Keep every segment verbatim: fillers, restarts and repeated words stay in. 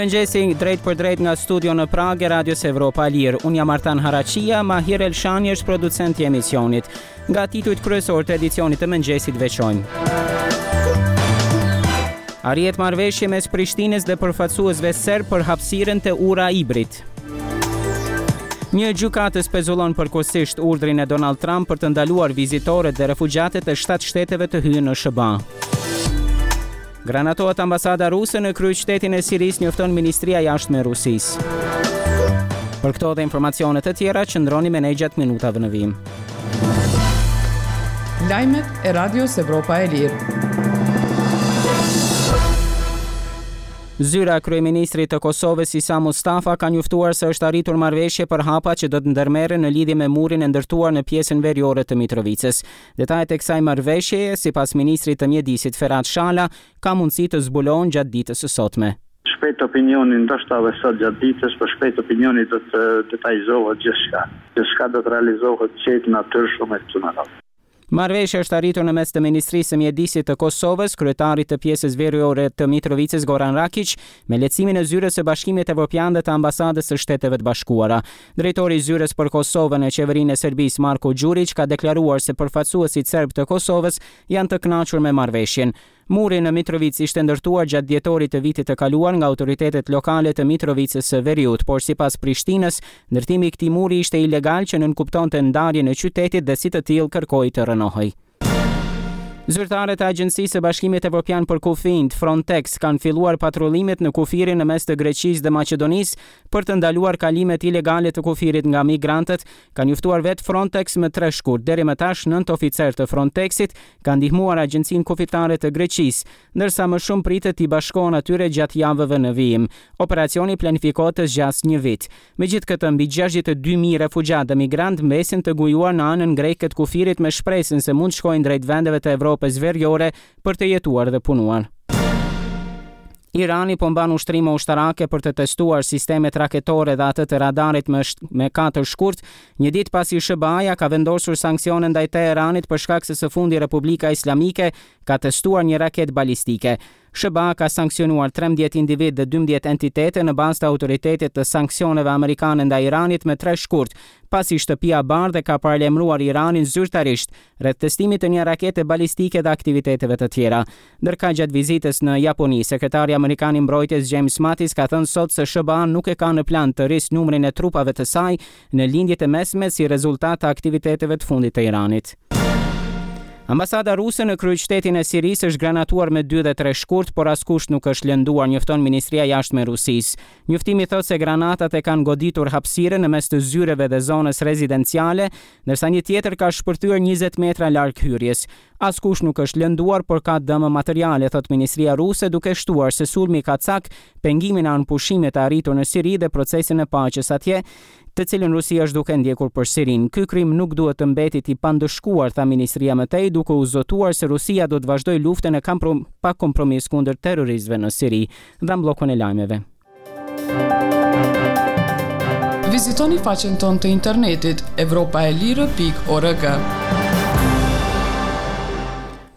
Mirëmëngjesi drejtpërdrejt nga studio në Pragë e Radios Evropa e Lirë. Unë jam Artan Haraqia, Mahir Elshani është producent i emisionit. Nga titujt kryesor të edicionit të mëngjesit veçojmë: Arrihet marrëveshje mes Prishtinës dhe përfaqësuesve serb për hapësirën te Ura e Ibrit. Një gjykatës pezullon përkohësisht urdhrin e Donald Trump për të ndaluar vizitorët dhe refugjatët e shtatë shteteve të hyjnë në S H B A. Granatohet ambasada ruse në kryeqytetin e Sirisë, njofton Ministria e Jashtme e Rusisë. Për këto dhe informacione të tjera, qëndroni me ne gjatë minutave në vijim. Lajmet e Radios Evropa e Lirë. Zyra e kryeministrit të Kosovës, Isa Mustafa, ka njoftuar se është arritur marrëveshje për hapa që do të ndërmerren në lidhje me murin e ndërtuar në pjesën veriore të Mitrovicës. Detajet e kësaj marrëveshjeje, sipas ministrit të Mjedisit Ferat Shala, ka mundësi të zbulohen gjatë ditës së sotme. Shpejt opinioni, ndoshta edhe sot gjatë ditës, por shpejt opinioni do të detajizohet gjithçka. Gjithçka do të realizohet qetë, natyrshëm e kështu me radhë. Marrëveshja është arritur në mes të Ministrisë së Mjedisit të Kosovës, kryetarit të pjesës veriore të Mitrovicës, Goran Rakic, me lehtësimin e zyrës së Bashkimit Evropian dhe të Ambasadës së Shteteve të Bashkuara. Drejtori i zyrës për Kosovën në qeverinë e Serbisë, Marko Gjuriq, ka deklaruar se përfaqësuesit serb të Kosovës janë të kënaqur me marrëveshjen. Muri në Mitrovicë ishte ndërtuar gjatë dhjetorit të vitit të kaluar nga autoritetet lokale të Mitrovicës së Veriut, por sipas Prishtinës, ndërtimi i këtij muri ishte ilegal, që nënkuptonte ndarjen e qytetit dhe si të tillë kërkoi të rrënohej. Zyrtarët e Agjencisë së Bashkimit Evropian për Kufinjt, Frontex, kanë filluar patrullimet në kufirin në mes të Greqisë dhe Maqedonisë për të ndaluar kalimet ilegale të kufirit nga migrantët, ka njoftuar vetë Frontex më tre shkurt. Deri më tash, nëntë oficerë të Frontexit kanë ndihmuar Agjencinë Kufitare të Greqisë, ndërsa më shumë pritet t'i bashkohen atyre gjatë javëve në vijim. Operacioni planifikohet të zgjasë një vit. Megjithëkëtë, mbi gjashtëdhjetë e dy mijë refugjatë dhe migrantë mbesin të ngujuar në anën greke të kufirit me shpresën se mund të shkojnë drejt vendeve të Evropës Veriore për të jetuar dhe punuar. Irani po mban ushtrime ushtarake për të testuar sistemet raketore dhe atë të radarit me, me katër shkurt, një ditë pasi S H B A-ja ka vendosur sanksione ndaj Teheranit për shkak se së fundi Republika Islamike ka testuar një raketë balistike. S H B A ka sanksionuar trembëdhjetë individ dhe dymbëdhjetë entitete në bazë të autoritetit të sanksioneve amerikane ndaj Iranit me tre shkurt, pasi Shtëpia e Bardhë ka paralajmëruar Iranin zyrtarisht rreth testimit të një rakete balistike dhe aktiviteteve të tjera. Ndërkaq, gjatë vizitës në Japoni, sekretari amerikan i mbrojtjes James Mattis ka thënë sot se S H B A nuk e ka në plan të rrisë numrin e trupave të saj në Lindjet e Mesme si rezultat të aktiviteteve të fundit të Iranit. Ambasada ruse në kryeqytetin e Sirisë është granatuar me dy dhe tre shkurt, por askush nuk është lënduar, njofton Ministria e Jashtme e Rusisë. Njoftimi thotë se granatat e kanë goditur hapësirën në mes të zyreve dhe zonës rezidenciale, ndërsa një tjetër ka shpërthyer njëzet metra larg hyrjes. Askush nuk është lënduar, por ka dëme materiale, thotë Ministria ruse, duke shtuar se sulmi ka cak pengimin e armëpushimit të arritur në Siri dhe procesin e paqes atje, të cilën Rusia është duke ndjekur për Sirinë. "Ky krim nuk duhet të mbetet i pandëshkuar", tha ministria më tej, duke u zotuar se Rusia do të vazhdojë luftën e pa kompromis kundër terroristëve në Siri. Dhe bllokun e lajmeve. Vizitoni faqen tonë të internetit evropaelire pikë org.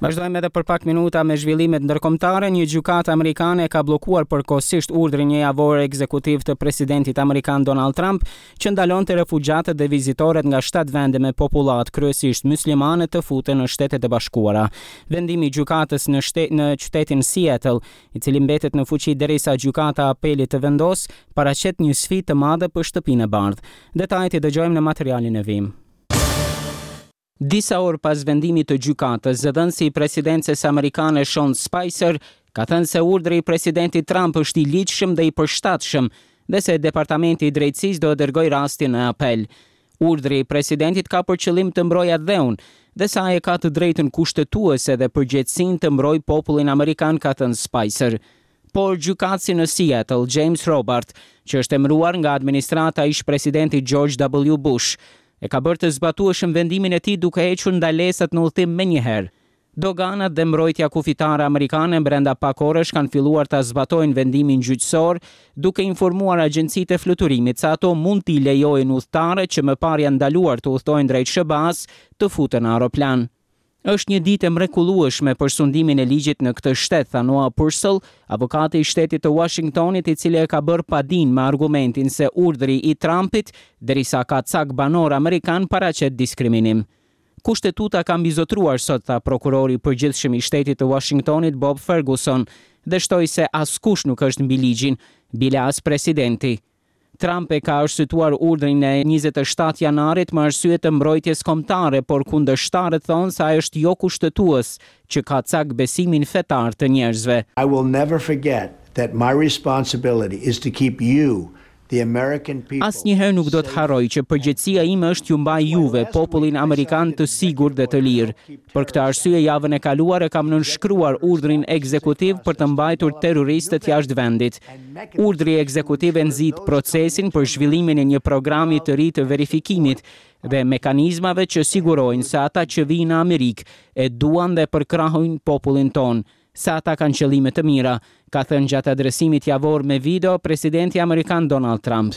Vazhdojmë edhe për pak minuta me zhvillimet ndërkombëtare. Një gjykatë amerikane ka bllokuar përkohësisht urdhrin një javor ekzekutiv të presidentit amerikan Donald Trump që ndalonte refugjatët dhe vizitorët nga shtatë vende me popullatë kryesisht muslimane të futen në Shtetet e Bashkuara. Vendimi i gjykatës në shtet, në qytetin Seattle, i cili mbetet në fuqi derisa gjykata e apelit të vendos, paraqet një sfidë të madhe për Shtëpinë e Bardhë. Detajet i dëgjojmë në materialin e vijim. Disa orë pas vendimit të gjykatës, zëdhënësi i presidencës amerikane Sean Spicer ka thënë se urdhri i presidentit Trump është i ligjshëm dhe i përshtatshëm dhe se Departamenti i Drejtësisë do të dërgojë rastin në apel. Urdhri i presidentit ka për qëllim të mbrojë atdheun dhe se ai e ka të drejtën kushtetuese dhe përgjegjësinë të mbrojë popullin amerikan, ka thënë Spicer. Por gjykatësi në Seattle, James Robart, që është emëruar nga administrata ish presidentit George W. Bush, e ka bërë të zbatueshëm vendimin e tij duke hequr ndalesat në udhëtim menjëherë. Doganat dhe mbrojtja kufitare amerikane brenda pak orësh kanë filluar ta zbatojnë vendimin gjyqësor, duke informuar agjencitë e fluturimit se ato mund t'i lejojnë udhëtarët që më parë janë ndaluar të udhëtojnë drejt S H B A-s të futen në aeroplan. Është një ditë e mrekullueshme për sundimin e ligjit në këtë shtet, tha Noah Purcell, avokati i shtetit të Washingtonit, i cili e ka bërë padinë me argumentin se urdhri i Trumpit, derisa ka cak banor amerikan, paraqet diskriminim. Kushtetuta ka mbizotruar sot, tha prokurori i përgjithshëm i shtetit të Washingtonit Bob Ferguson, dhe shtoi se askush nuk është mbi ligjin, bile as presidenti. Trump e ka arsyetuar urdhrin e njëzet e shtatë janarit me arsye të mbrojtjes kombëtare, por kundërshtarët thonë se ai është jo kushtetues, që ka cak besimin fetar të njerëzve. I will never forget that my responsibility is to keep you, the American people. Asnjëherë nuk do të harroj që përgjegjësia ime është t'ju mbaj juve, popullin amerikan, të sigurt dhe të lirë. Për këtë arsye javën e kaluar e kam nënshkruar urdhrin ekzekutiv për të mbajtur terroristët jashtë vendit. Urdhri ekzekutiv e nxit procesin për zhvillimin e një programi të ri të verifikimit dhe mekanizmave që sigurojnë se ata që vijnë në Amerikë e duan dhe përkrahin popullin tonë, se ata kanë qëllime të mira, ka thënë gjatë adresimit javor me video presidenti amerikan Donald Trump.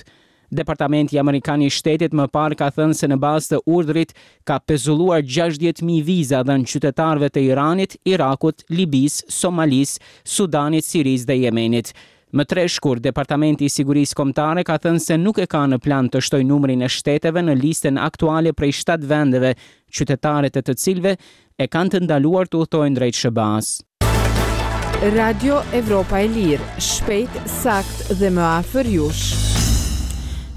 Departamenti Amerikan i Shtetit më parë ka thënë se në bazë të urdhrit ka pezulluar gjashtëdhjetë mijë viza dhënë qytetarëve të Iranit, Irakut, Libisë, Somalisë, Sudanit, Sirisë dhe Jemenit. Më tre shkurt, Departamenti i Sigurisë Kombëtare ka thënë se nuk e ka në plan të shtojë numrin e shteteve në listën aktuale prej shtatë vendeve, qytetarët e të cilëve e kanë të ndaluar të udhtojnë drejt S H B A-s. Radio Evropa e Lirë, shpejt, sakt dhe më afër jush.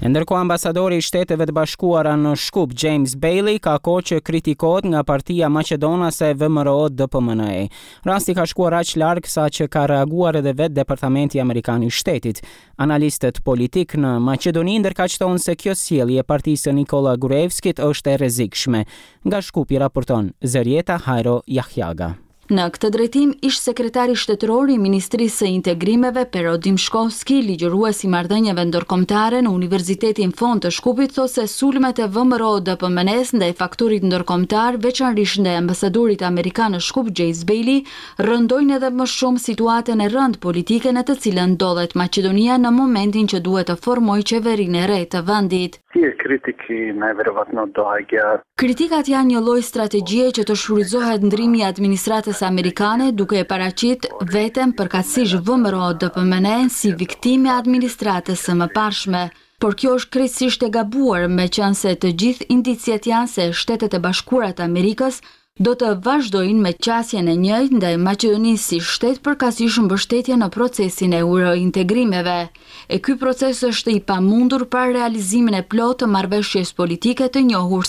E ndërkohë ambasadori i Shteteve të Bashkuara në Shkup, James Bailey, ka kohë që kritikohet nga partia maqedonase V M R O D P M N E. Rasti ka shkuar aq larg sa që ka reaguar edhe vetë Departamenti Amerikan i Shtetit. Analistët politik në Maqedoni ndërkaq thonë se kjo sjellje e partisë së Nikola Gruevskit është e rrezikshme. Nga Shkupi raporton Zërjeta Hajro Jahjaga. Në këtë drejtim, ish sekretari shtetëror i Ministrisë së Integrimeve Pero Dimshkovski, ligjërues i marrëdhënieve ndërkombëtare në Universitetin Fond të Shkupit, thotë se sulmet e V M R O D P M N-s ndaj faktorit ndërkombëtar, veçanërisht ndaj ambasadorit amerikan në Shkup, James Bailey, rëndojnë edhe më shumë situatën e rëndë politike në të cilën ndodhet Maqedonia në momentin që duhet të formojë qeverinë e re të vendit. Tije kritiki najverovatno doagjë. Kritikat janë një lloj strategjie që të shfrytëzohet ndrimi i administratës amerikane duke e paraqit veten përkatësisht V M R O D P M N si viktime e administratës së mëparshme. Por kjo është krejtësisht e gabuar, meqense të gjithë indiciet janë se Shtetet e Bashkuara të Amerikës do të vazhdojnë me qasjen e njëjtë ndaj Maqedonisë si shtet përkatësisht mbështetje në procesin e eurointegrimeve. E ky proces është i pamundur pa realizimin e plotë të marrëveshjes politike të njohur